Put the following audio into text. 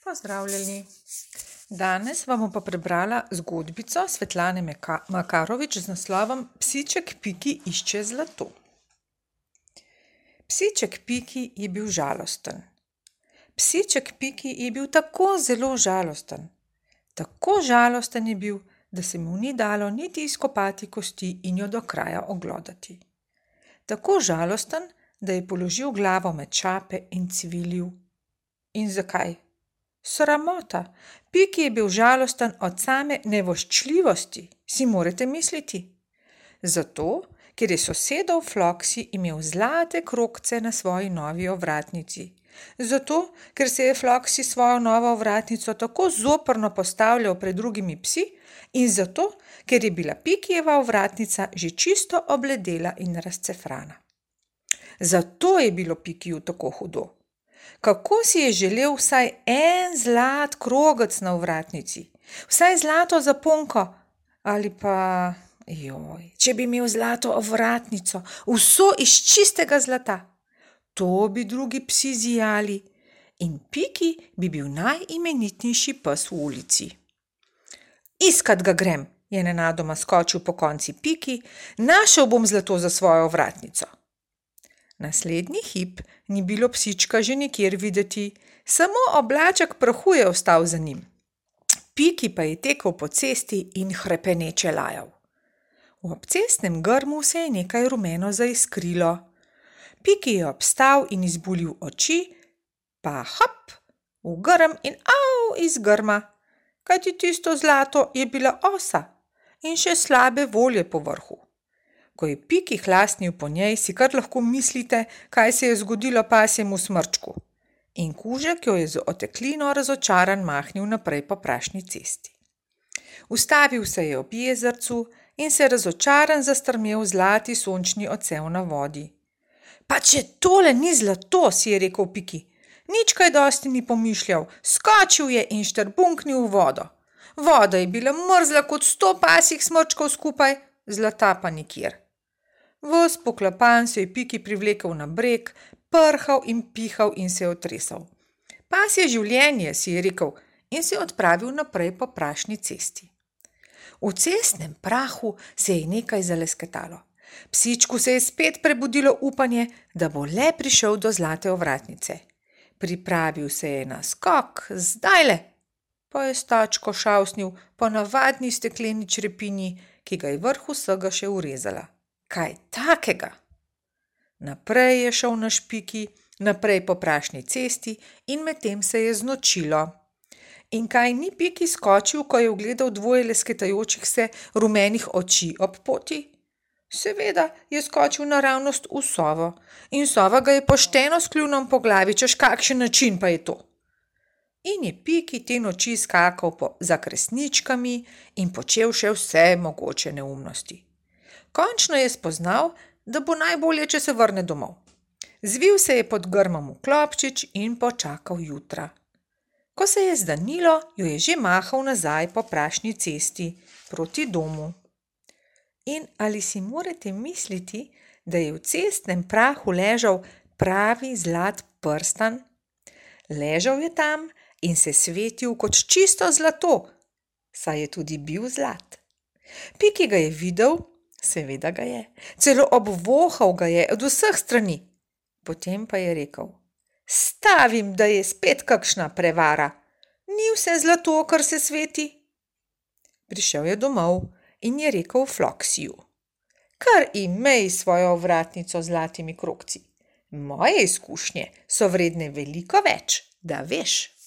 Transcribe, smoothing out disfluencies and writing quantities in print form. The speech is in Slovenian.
Pozdravljeni. Danes vam bom pa prebrala zgodbico Svetlane Makarovič z naslovom Psiček Piki išče zlato. Psiček Piki je bil žalosten. Psiček Piki je bil tako zelo žalosten. Tako žalosten je bil, da se mu ni dalo niti izkopati kosti in jo do kraja oglodati. Tako žalosten, da je položil glavo med šape in cvilil. In zakaj? Sramota. Piki je bil žalosten od same nevoščljivosti, si morate misliti. Zato, ker je sosedov Floksi imel zlate krogce na svoji novi ovratnici. Zato, ker se je Floksi svojo novo ovratnico tako zoprno postavljal pred drugimi psi in zato, ker je bila Pikijeva ovratnica že čisto obledela in razcefrana. Zato je bilo Pikiju tako hudo. Kako si je želel vsaj en zlat krogec na ovratnici, vsaj zlato zaponko ali pa, če bi imel zlato ovratnico, vso iz čistega zlata. To bi drugi psi zijali in Piki bi bil najimenitnejši pes v ulici. Iskat ga grem, je nenadoma skočil po konci Piki, našel bom zlato za svojo ovratnico. Naslednji hip ni bilo psička že nikjer videti, samo oblaček prahu je ostal za njim. Piki pa je tekel po cesti in hrepeneče lajal. V obcestnem grmu se je nekaj rumeno zaiskrilo. Piki je obstal in izbulil oči, pa hop, v grm in iz grma, kajti tisto zlato je bila osa in še slabe volje po vrhu. Ko je Piki hlasnil po njej, si kar lahko mislite, kaj se je zgodilo pasjemu smrčku. In kužek jo je z oteklino razočaran mahnil naprej po prašni cesti. Ustavil se je ob jezercu in se razočaran zastrmel v zlati sončni odsev na vodi. Pa če tole ni zlato, si je rekel Piki, nič kaj dosti ni pomišljal, skočil je in štrbunknil v vodo. Voda je bila mrzla kot 100 pasjih smrčkov skupaj, zlata pa nikjer. Ves poklapan se je Piki privlekel na breg, prhal in pihal in se otresal. Pasje življenje, si je rekel in se odpravil naprej po prašni cesti. V cestnem prahu se je nekaj zalesketalo. Psičku se je spet prebudilo upanje, da bo le prišel do zlate ovratnice. Pripravil se je na skok, zdajle, pa je stačko šavsnil po navadni stekleni črepinji, ki ga je vrh vsega še urezala. Kaj takega? Naprej je šel naš Piki, naprej po prašni cesti in medtem se je znočilo. In kaj ni Piki skočil, ko je ugledal dvoje lesketajočih se rumenih oči ob poti? Seveda je skočil naravnost v sovo in sova ga je pošteno s kljunom po glavi, češ kakšen način pa je to. In je Piki te noči skakal za kresničkami in počel še vse mogoče neumnosti. Končno je spoznal, da bo najbolje, če se vrne domov. Zvil se je pod grmom v klobčič in počakal jutra. Ko se je zdanilo, jo je že mahal nazaj po prašni cesti proti domu. In ali si morate misliti, da je v cestnem prahu ležal pravi zlat prstan? Ležal je tam in se svetil kot čisto zlato, saj je tudi bil zlat. Piki ga je videl, seveda ga je, celo obvohal ga je od vseh strani. Potem pa je rekel, stavim, da je spet kakšna prevara, ni vse zlato, kar se sveti. Prišel je domov in je rekel Floksiju, kar imej svojo ovratnico z zlatimi krogci. Moje izkušnje so vredne veliko več, da veš.